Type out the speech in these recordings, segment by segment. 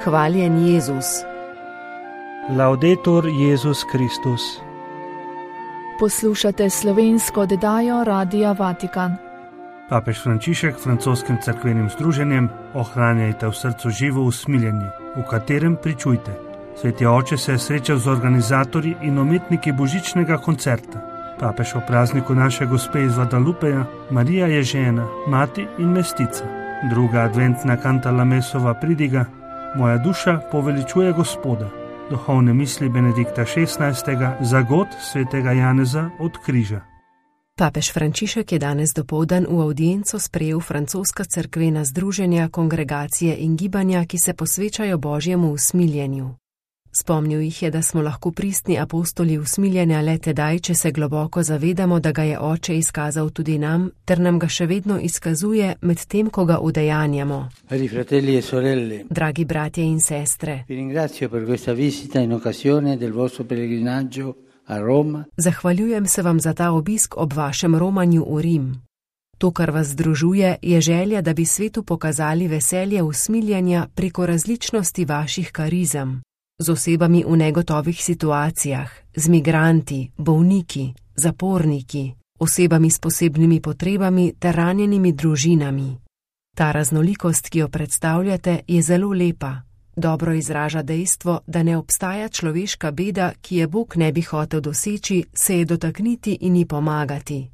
Hvaljen Jezus. Laudetur Jezus Kristus. Poslušate slovensko oddajo Radia Vatikan. Papež Frančišek francoskim cerkvenim združenjem Ohranjajte v srcu živo usmiljenje, v katerem pričujte. Sveti oče se je srečal z organizatorji in umetniki božičnega koncerta. Papež o prazniku naše gospe iz Guadalupeja, Marija je žena, mati in mestica. Druga adventna kantala Mesova pridiga, Moja duša poveličuje Gospoda. Duhovne misli Benedikta XVI. Za god svetega Janeza od križa. Papež Frančišek je danes dopoldan v avdienco sprejel francoska cerkvena združenja, kongregacije in gibanja, ki se posvečajo Božjemu usmiljenju. Spomnil jih je, da smo lahko pristni apostoli usmiljenja le tedaj, če se globoko zavedamo, da ga je Oče izkazal tudi nam, ter nam ga še vedno izkazuje med tem, ko ga udejanjamo. Fratelli e sorelle, Dragi bratje in sestre, vi ringrazio per questa visita in occasione del vostro pellegrinaggio a Roma. Zahvaljujem se vam za ta obisk ob vašem romanju v Rim. To, kar vas združuje, je želja, da bi svetu pokazali veselje usmiljenja preko različnosti vaših karizem. Z osebami v negotovih situacijah, z migranti, bolniki, zaporniki, osebami s posebnimi potrebami ter ranjenimi družinami. Ta raznolikost, ki jo predstavljate, je zelo lepa. Dobro izraža dejstvo, da ne obstaja človeška beda, ki je Bog ne bi hotel doseči, se je dotakniti in ji pomagati.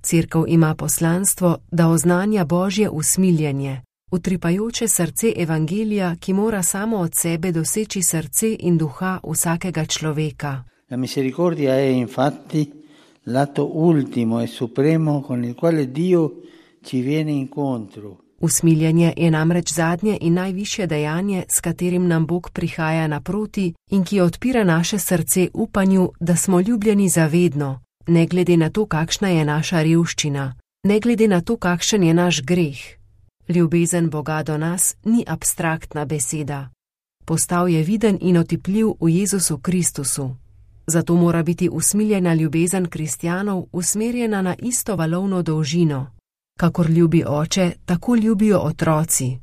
Cerkev ima poslanstvo, da oznanja Božje usmiljenje, utripajoče srce evangelija, ki mora samo od sebe doseči srce in duha vsakega človeka. La misericordia è infatti l'atto ultimo e supremo con il quale Dio ci viene incontro. Usmiljenje je namreč zadnje in najvišje dejanje, s katerim nam Bog prihaja naproti in ki odpira naše srce upanju, da smo ljubljeni zavedno, ne glede na to, kakšna je naša revščina, ne glede na to, kakšen je naš greh. Ljubezen Boga do nas ni abstraktna beseda. Postal je viden in otipljiv v Jezusu Kristusu. Zato mora biti usmiljena ljubezen kristjanov usmerjena na isto valovno dolžino. Kakor ljubi Oče, tako ljubijo otroci.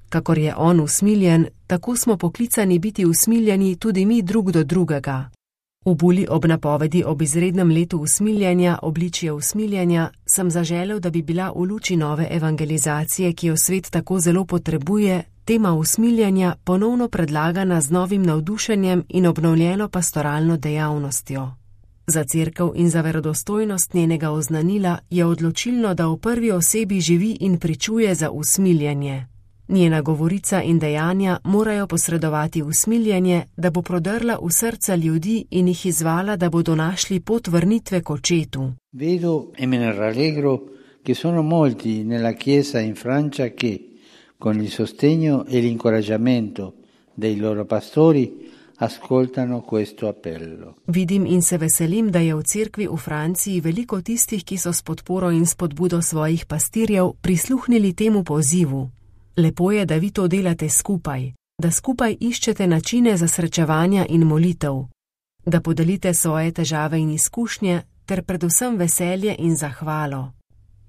Kakor je On usmiljen, tako smo poklicani biti usmiljeni tudi mi drug do drugega. V buli ob napovedi ob izrednem letu usmiljenja, obličje usmiljenja, sem zaželel, da bi bila v luči nove evangelizacije, ki jo svet tako zelo potrebuje, tema usmiljenja ponovno predlagana z novim navdušenjem in obnovljeno pastoralno dejavnostjo. Za cerkev in za verodostojnost njenega oznanila je odločilno, da v prvi osebi živi in pričuje za usmiljenje. Njena govorica in dejanja morajo posredovati usmiljenje, da bo prodrla v srca ljudi in jih izvala, da bodo našli pot vrnitve k Očetu. Vedo e me ne rallegro che sono molti nella Chiesa in Francia che, con il sostegno e l'incoraggiamento dei loro pastori, ascoltano questo appello. Vidim in se veselim, da je v cerkvi v Franciji veliko tistih, ki so s podporo in spodbudo svojih pastirjev prisluhnili temu pozivu. Lepo je, da vi to delate skupaj, da skupaj iščete načine za srečevanja in molitev, da podelite svoje težave in izkušnje ter predvsem veselje in zahvalo.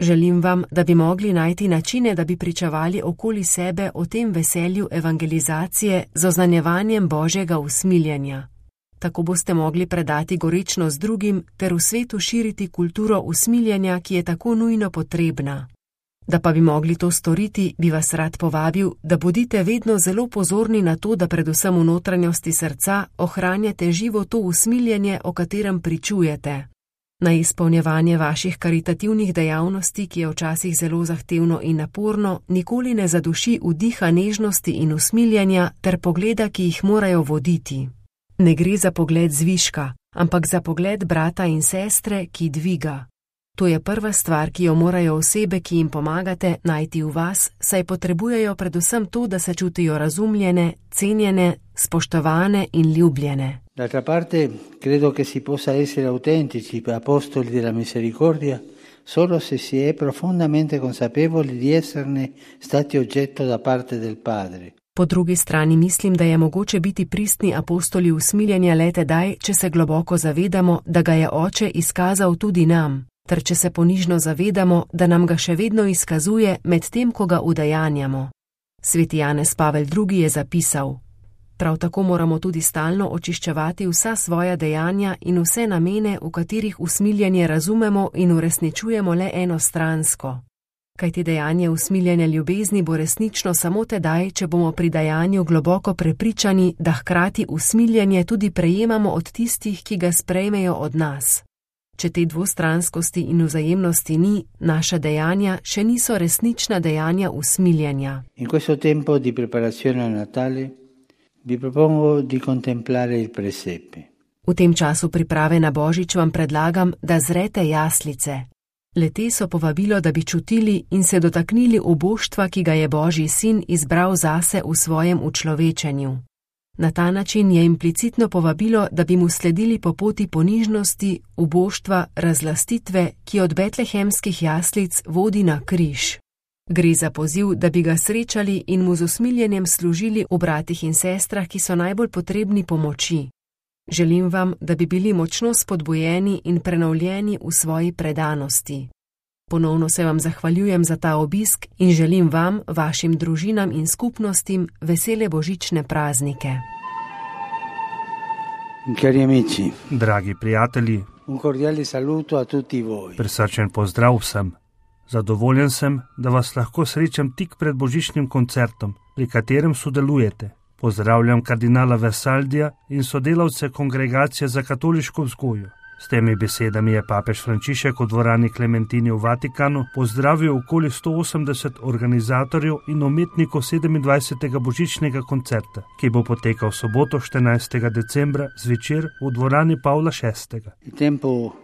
Želim vam, da bi mogli najti načine, da bi pričevali okoli sebe o tem veselju evangelizacije z oznanjevanjem Božjega usmiljenja. Tako boste mogli predati gorečnost drugim ter v svetu širiti kulturo usmiljenja, ki je tako nujno potrebna. Da pa bi mogli to storiti, bi vas rad povabil, da bodite vedno zelo pozorni na to, da predvsem v notranjosti srca ohranjate živo to usmiljenje, o katerem pričujete. Na izpolnjevanje vaših karitativnih dejavnosti, ki je včasih zelo zahtevno in naporno, nikoli ne zaduši vdiha nežnosti in usmiljenja ter pogleda, ki jih morajo voditi. Ne gre za pogled zviška, ampak za pogled brata in sestre, ki dviga. To je prva stvar, ki jo morajo osebe, ki jim pomagate, najti v vas, saj potrebujejo predvsem to, da se čutijo razumljene, cenjene, spoštovane in ljubljene. D'altra parte, credo che si possa essere autentici apostoli della misericordia solo se si è profondamente consapevoli di esserne stati oggetto da parte del Padre. Po drugi strani mislim, da je mogoče biti pristni apostoli usmiljenja le tedaj, če se globoko zavedamo, da ga je Oče izkazal tudi nam, ter če se ponižno zavedamo, da nam ga še vedno izkazuje med tem, ko ga udejanjamo. Sveti Janez Pavel II je zapisal: Prav tako moramo tudi stalno očiščevati vsa svoja dejanja in vse namene, v katerih usmiljenje razumemo in uresničujemo le enostransko. Kajti dejanje usmiljene ljubezni bo resnično samo tedaj, če bomo pri dejanju globoko prepričani, da hkrati usmiljenje tudi prejemamo od tistih, ki ga sprejmejo od nas. Če te dvostranskosti in vzajemnosti ni, naša dejanja še niso resnična dejanja usmiljenja. In questo tempo di preparazione a Natale vi propongo di contemplare il presepe. V tem času priprave na Božič vam predlagam, da zrete jaslice. Le-te so povabilo, da bi čutili in se dotaknili oboštva, ki ga je Božji sin izbral zase v svojem učlovečenju. Na ta način je implicitno povabilo, da bi mu sledili po poti ponižnosti, uboštva, razlastitve, ki od betlehemskih jaslic vodi na križ. Gre za poziv, da bi ga srečali in mu z usmiljenjem služili v bratih in sestrah, ki so najbolj potrebni pomoči. Želim vam, da bi bili močno spodbujeni in prenovljeni v svoji predanosti. Ponovno se vam zahvaljujem za ta obisk in želim vam, vašim družinam in skupnostim vesele božične praznike. Cari amici, Dragi prijatelji, un cordiale saluto a tutti voi. prisrčen pozdrav vsem. Zadovoljen sem, da vas lahko srečam tik pred božičnim koncertom, pri katerem sodelujete. Pozdravljam kardinala Versaldija in sodelavce Kongregacije za katoliško vzgojo. S temi besedami je papež Frančišek v dvorani Klementini v Vatikanu pozdravil okoli 180 organizatorjev in umetnikov 27. božičnega koncerta, ki bo potekal v soboto 14. decembra zvečer v dvorani Pavla VI. Il tempo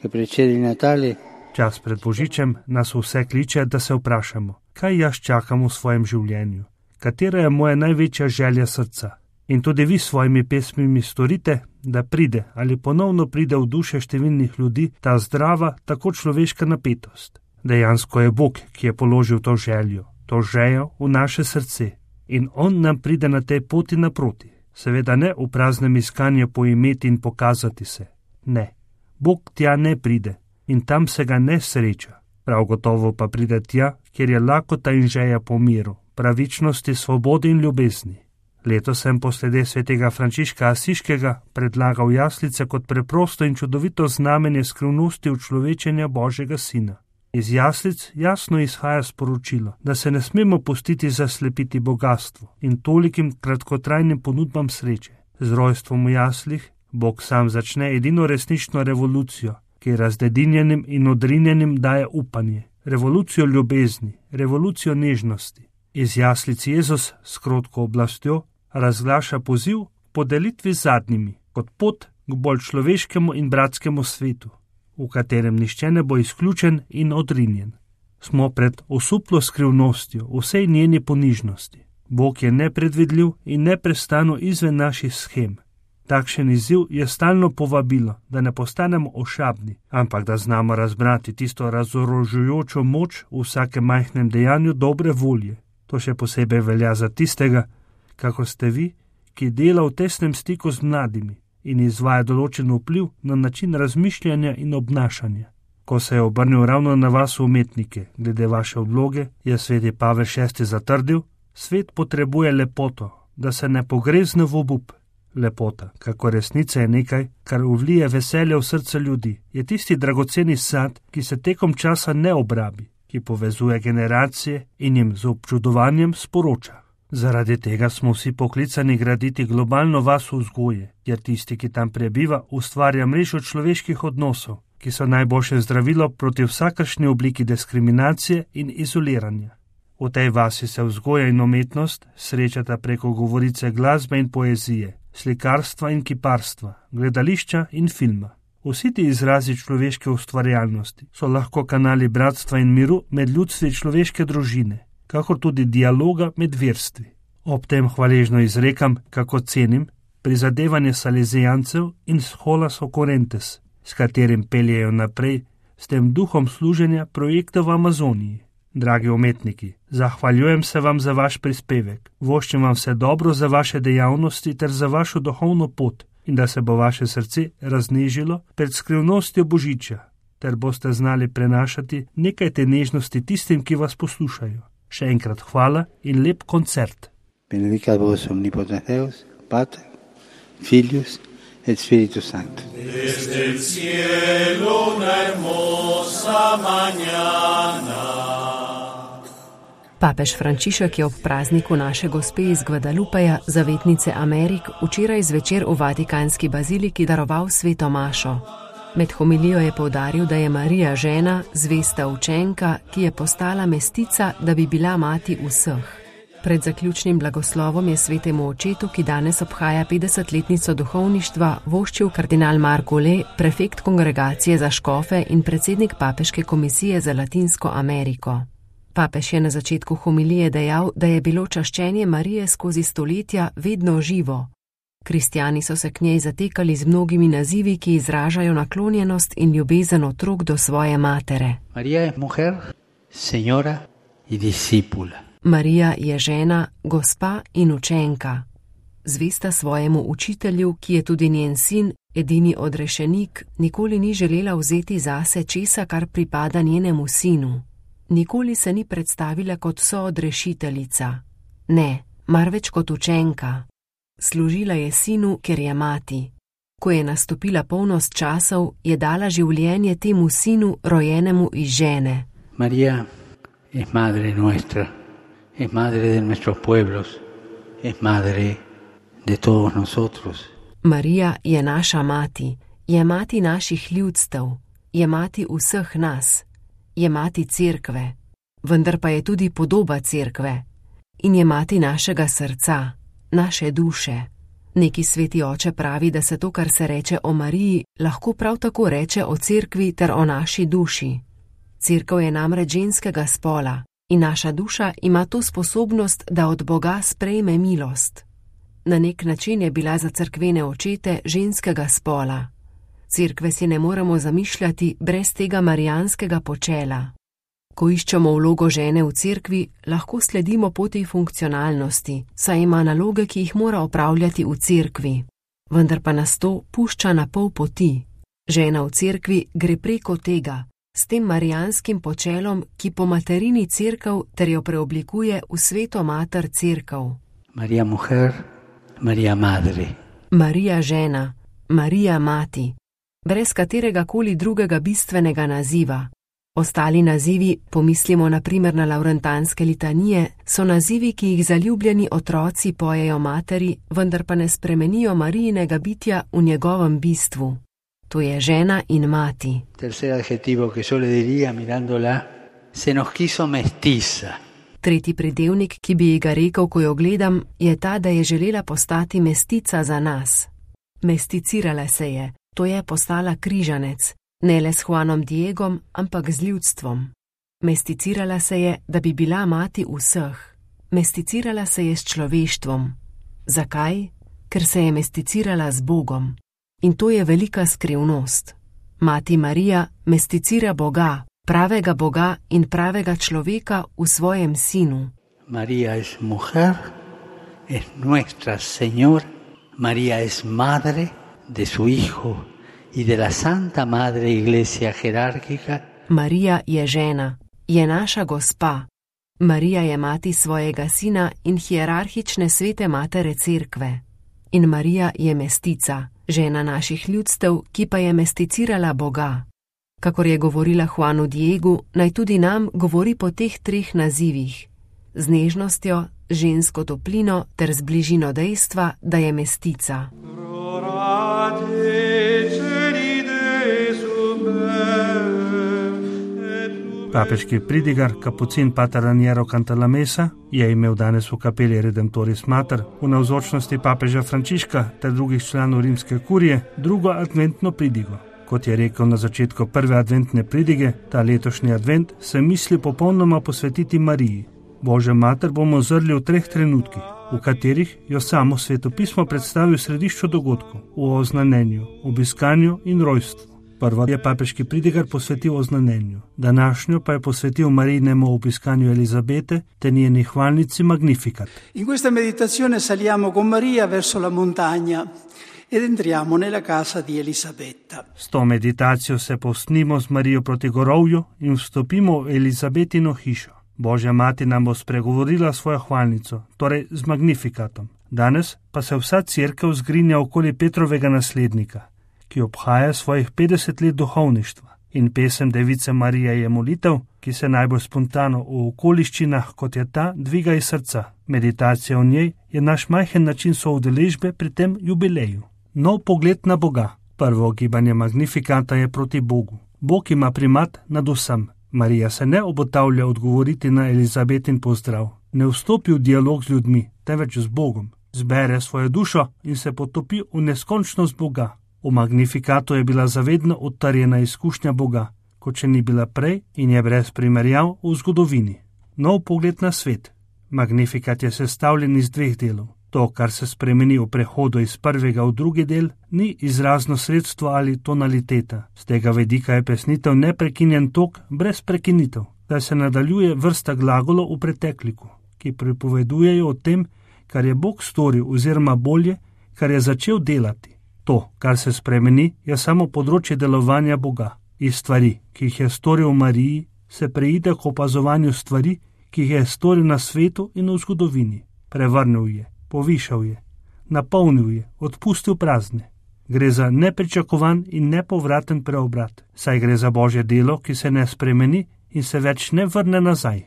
che precede il Natale Čas pred božičem nas vse kliče, da se vprašamo, kaj jaz čakam v svojem življenju, katera je moja največja želja srca. In tudi vi s svojimi pesmimi storite, da pride ali ponovno pride v duše številnih ljudi ta zdrava, tako človeška napetost. Dejansko je Bog, ki je položil to željo v naše srce in On nam pride na tej poti naproti. Seveda ne v praznem iskanju poimeti in pokazati se. Ne, Bog tja ne pride in tam se ga ne sreča. Prav gotovo pa pride tja, kjer je lakota in želja po miru, pravičnosti, svobodi in ljubezni. Letos sem poslede svetega Frančiška Asiškega predlagal jaslice kot preprosto in čudovito znamenje skrivnosti učlovečenja Božjega sina. Iz jaslic jasno izhaja sporočilo, da se ne smemo pustiti zaslepiti bogatstvu in tolikim kratkotrajnim ponudbam sreče. Z rojstvom v jaslih Bog sam začne edino resnično revolucijo, ki razdedinjenim in odrinjenim daje upanje, revolucijo ljubezni, revolucijo nežnosti. Iz jaslic Jezus s krotko oblastjo razglaša poziv po delitvi z zadnjimi, kot pot k bolj človeškemu in bratskemu svetu, v katerem nišče ne bo izključen in odrinjen. Smo pred osuplo skrivnostjo vsej njeni ponižnosti. Bog je nepredvidljiv in neprestano izven naših shem. Takšen izziv je stalno povabilo, da ne postanemo ošabni, ampak da znamo razbrati tisto razorožujočo moč v vsakem majhnem dejanju dobre volje. To še posebej velja za tistega, kako ste vi, ki dela v tesnem stiku z mladimi in izvaja določen vpliv na način razmišljanja in obnašanja. Ko se je obrnil ravno na vas umetnike glede vaše vloge, je sveti Pavel VI zatrdil, svet potrebuje lepoto, da se ne pogrezne v obup. Lepota, kako resnica je nekaj, kar vlije veselje v srce ljudi, je tisti dragoceni sad, ki se tekom časa ne obrabi, ki povezuje generacije in jim z občudovanjem sporoča. Zaradi tega smo vsi poklicani graditi globalno vas vzgoje, jer tisti, ki tam prebiva, ustvarja mrežo človeških odnosov, ki so najboljše zdravilo proti vsakršni obliki diskriminacije in izoliranja. V tej vasi se vzgoja in umetnost srečata preko govorice glasbe in poezije, slikarstva in kiparstva, gledališča in filma. Vsi ti izrazi človeške ustvarjalnosti so lahko kanali bratstva in miru med ljudstvi človeške družine, kakor tudi dialoga med verstvi. Ob tem hvaležno izrekam, kako cenim prizadevanje salezijancev in Scholas Okorentes, s katerim peljejo naprej s tem duhom služenja projekta v Amazoniji. Dragi umetniki, zahvaljujem se vam za vaš prispevek, voščim vam vse dobro za vaše dejavnosti ter za vašo duhovno pot in da se bo vaše srce raznežilo pred skrivnostjo Božiča, ter boste znali prenašati nekaj te nežnosti tistim, ki vas poslušajo. Še enkrat hvala in lep koncert. benedicat vos omnipotens Deus, Pater, Filius et Spiritus Sanctus. Desde el cielo una hermosa mañana. Papež Frančišek je ob prazniku naše gospe iz Guadalupeja, zavetnice Amerik, včeraj zvečer v Vatikanski baziliki daroval sveto mašo. Med homilijo je poudaril, da je Marija žena, zvesta učenka, ki je postala mestica, da bi bila mati vseh. Pred zaključnim blagoslovom je svetemu očetu, ki danes obhaja 50-letnico duhovništva, voščil kardinal Marko Le, prefekt kongregacije za škofe in predsednik Papeške komisije za Latinsko Ameriko. Papež je na začetku homilije dejal, da je bilo čaščenje Marije skozi stoletja vedno živo. Kristjani so se k njej zatekali z mnogimi nazivi, ki izražajo naklonjenost in ljubezen otrok do svoje matere. Marija je mujer, señora in discípula. Marija je žena, gospa in učenka. Zvesta svojemu učitelju, ki je tudi njen sin, edini odrešenik, nikoli ni želela vzeti zase česa, kar pripada njenemu sinu. Nikoli se ni predstavila kot soodrešiteljica. Ne, marveč kot učenka. Služila je sinu, ker je mati. Ko je nastopila polnost časov, je dala življenje temu sinu, rojenemu iz žene. Marija je madre nuestra, je madre de nuestros pueblos, je madre de todos nosotros. Marija je naša mati, je mati naših ljudstev, je mati vseh nas, je mati cerkve, vendar pa je tudi podoba cerkve in je mati našega srca, naše duše. Neki sveti oče pravi, da se to, kar se reče o Mariji, lahko prav tako reče o cerkvi ter o naši duši. Cerkev je namreč ženskega spola in naša duša ima to sposobnost, da od Boga sprejme milost. Na nek način je bila za cerkvene očete ženskega spola. Cerkve si ne moremo zamišljati brez tega marijanskega počela. Ko iščemo vlogo žene v cerkvi, lahko sledimo poti funkcionalnosti, saj ima naloge, ki jih mora opravljati v cerkvi. Vendar pa nas to pušča na pol poti. Žena v cerkvi gre preko tega, s tem marijanskim počelom, ki po materini cerkev ter jo preoblikuje v sveto mater cerkev. Marija mujer, Marija madre. Marija žena, Marija mati, brez katerega koli drugega bistvenega naziva. Ostali nazivi, pomislimo na primer na lavrentanske litanije, so nazivi, ki jih zaljubljeni otroci pojejo materi, vendar pa ne spremenijo Marijinega bitja v njegovem bistvu. To je žena in mati. Tercer adjetivo, ki le diría mirándola, se nos quiso mestiza. Tretji pridevnik, ki bi ji ga rekel, ko jo gledam, je ta, da je želela postati mestica za nas. Mesticirala se je, to je postala križanec. Ne le s Juanom Diegom, ampak z ljudstvom. Mesticirala se je, da bi bila mati vseh. Mesticirala se je s človeštvom. Zakaj? Ker se je mesticirala z Bogom. In to je velika skrivnost. Mati Marija mesticira Boga, pravega Boga in pravega človeka v svojem sinu. Marija es mujer, es nuestra Señora. Marija es madre de su hijo y de la Santa Madre Iglesia jerárquica. Marija je žena, je naša gospa. Marija je mati svojega sina in hierarhične svete matere cerkve. In Marija je mestica, žena naših ljudstev, ki pa je mesticirala Boga. Kakor je govorila Juanu Diegu, naj tudi nam govori po teh treh nazivih. Z nežnostjo, žensko toplino ter z bližino dejstva, da je mestica. Papeški pridigar, kapucin pater Raniero Cantalamessa, je imel danes v kapeli Redemptoris Mater v navzočnosti papeža Frančiška ter drugih članov rimske kurije drugo adventno pridigo. Kot je rekel na začetku prve adventne pridige, ta letošnji advent se misli popolnoma posvetiti Mariji. Božjo mater bomo zrli v treh trenutkih, v katerih jo samo svetopismo predstavi v središču dogodkov, v oznanenju, obiskanju in rojstvu. Prvo je papeški pridigar posvetil oznanenju, današnjo pa je posvetil Marijinemu obiskanju Elizabete te njeni hvalnici Magnificat. In questa meditazione saliamo con Maria verso la montagna ed entriamo nella casa di Elisabetta. S to meditacijo se povzpnimo z Marijo proti gorovju in vstopimo v Elizabetino hišo. Božja mati nam bo spregovorila svojo hvalnico, torej z Magnifikatom. Danes pa se vsa cerkev zgrinja okoli Petrovega naslednika, ki obhaja svojih 50 let duhovništva. In pesem Device Marije je molitev, ki se najbolj spontano v okoliščinah, kot je ta, dviga iz srca. Meditacija v njej je naš majhen način soudeležbe pri tem jubileju. Nov pogled na Boga. Prvo gibanje Magnifikata je proti Bogu. Bog ima primat nad vsem. Marija se ne obotavlja odgovoriti na Elizabetin pozdrav. Ne vstopi v dialog z ljudmi, temveč z Bogom. Zbere svojo dušo in se potopi v neskončnost Boga. V Magnifikatu je bila zavedno odtarjena izkušnja Boga, kot še ni bila prej in je brez primerjav v zgodovini. Nov pogled na svet. Magnifikat je sestavljen iz 2 delov. To, kar se spremeni v prehodu iz prvega v drugi del, ni izrazno sredstvo ali tonaliteta. Z tega vedika je pesnitev neprekinjen tok brez prekinitev, da se nadaljuje vrsta glagolov v pretekliku, ki pripovedujejo o tem, kar je Bog storil oziroma bolje, kar je začel delati. To, kar se spremeni, je samo področje delovanja Boga. Iz stvari, ki jih je storil v Mariji, se preide k opazovanju stvari, ki jih je storil na svetu in v zgodovini. Prevrnil je, povišal je, napolnil je, odpustil prazne. Gre za nepričakovan in nepovraten preobrat, saj gre za Božje delo, ki se ne spremeni in se več ne vrne nazaj.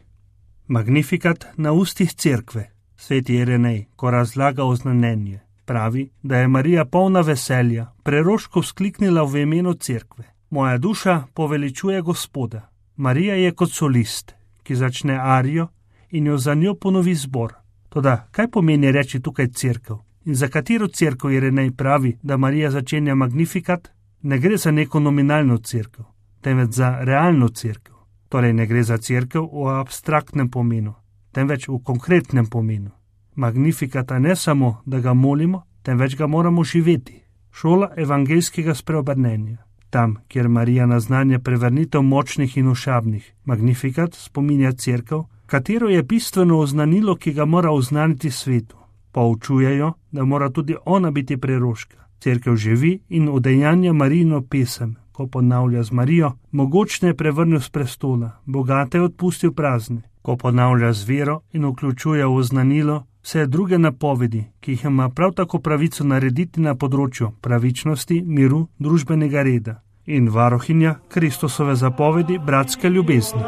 Magnifikat na ustih cerkve. Sveti Irenej, ko razlaga oznanjenje, pravi, da je Marija polna veselja, preroško vzkliknila v imenu cerkve. Moja duša poveličuje Gospoda. Marija je kot solist, ki začne arijo in jo za njo ponovi zbor. Toda, kaj pomeni reči tukaj cerkev? In za katero cerkev Irenej pravi, da Marija začenja Magnifikat? Ne gre za neko nominalno cerkev, temveč za realno cerkev. Torej ne gre za cerkev v abstraktnem pomenu, temveč v konkretnem pomenu. Magnifikata ne samo, da ga molimo, temveč ga moramo živeti. Šola evangeljskega spreobrnenja. Tam, kjer Marija naznanja prevrnitev močnih in ošabnih, Magnifikat spominja cerkev, katero je bistveno oznanilo, ki ga mora oznaniti svetu. Poučujejo, da mora tudi ona biti preroška. Cerkev živi in udejanja Marijino pesem, ko ponavlja z Marijo, mogočne je prevrnil s prestola, bogate je odpustil prazne, ko ponavlja z vero in vključuje v oznanilo vse druge napovedi, ki jih ima prav tako pravico narediti na področju pravičnosti, miru, družbenega reda in varohinja Kristusove zapovedi bratske ljubezni.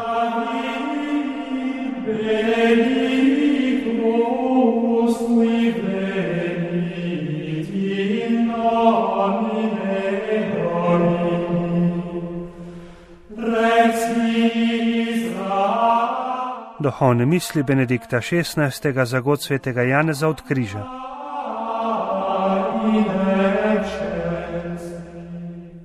Duhovne misli Benedikta XVI. Za god svetega Janeza od križa.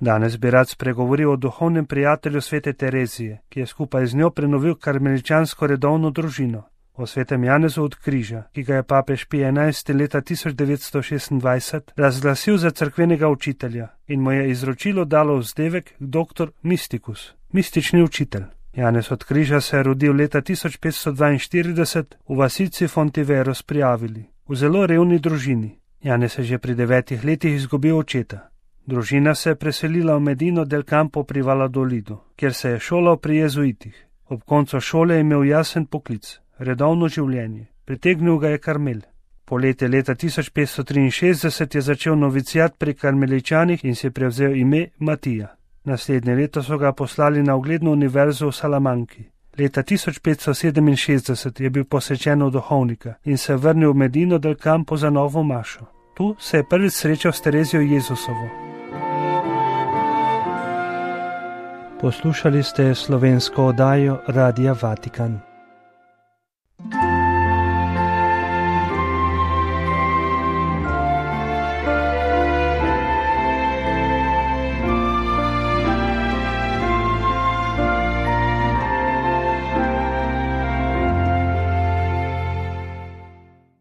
Danes bi rad spregovoril o duhovnem prijatelju svete Terezije, ki je skupaj z njo prenovil karmeličansko redovno družino, o svetem Janezu od križa, ki ga je papež Pij XI. Leta 1926 razglasil za cerkvenega učitelja in mu je izročilo dalo vzdevek doktor Mysticus, mistični učitelj. Janez od križa se je rodil leta 1542 v vasici Fontiveros pri Avili, v zelo revni družini. Janez je že pri 9 letih izgubil očeta. Družina se je preselila v Medino del Campo pri Valladolidu, kjer se je šolal pri jezuitih. Ob koncu šole je imel jasen poklic, redovno življenje. Pritegnil ga je Karmel. Poleti leta 1563 je začel novicijat pri karmeličanih in si prevzel ime Matija. Naslednje leto so ga poslali na ugledno univerzo v Salamanki. Leta 1567 je bil posvečen v duhovnika in se vrnil v Medino del Campo za novo mašo. Tu se je prvič srečal s Terezijo Jezusovo. Poslušali ste slovensko oddajo Radia Vatikan.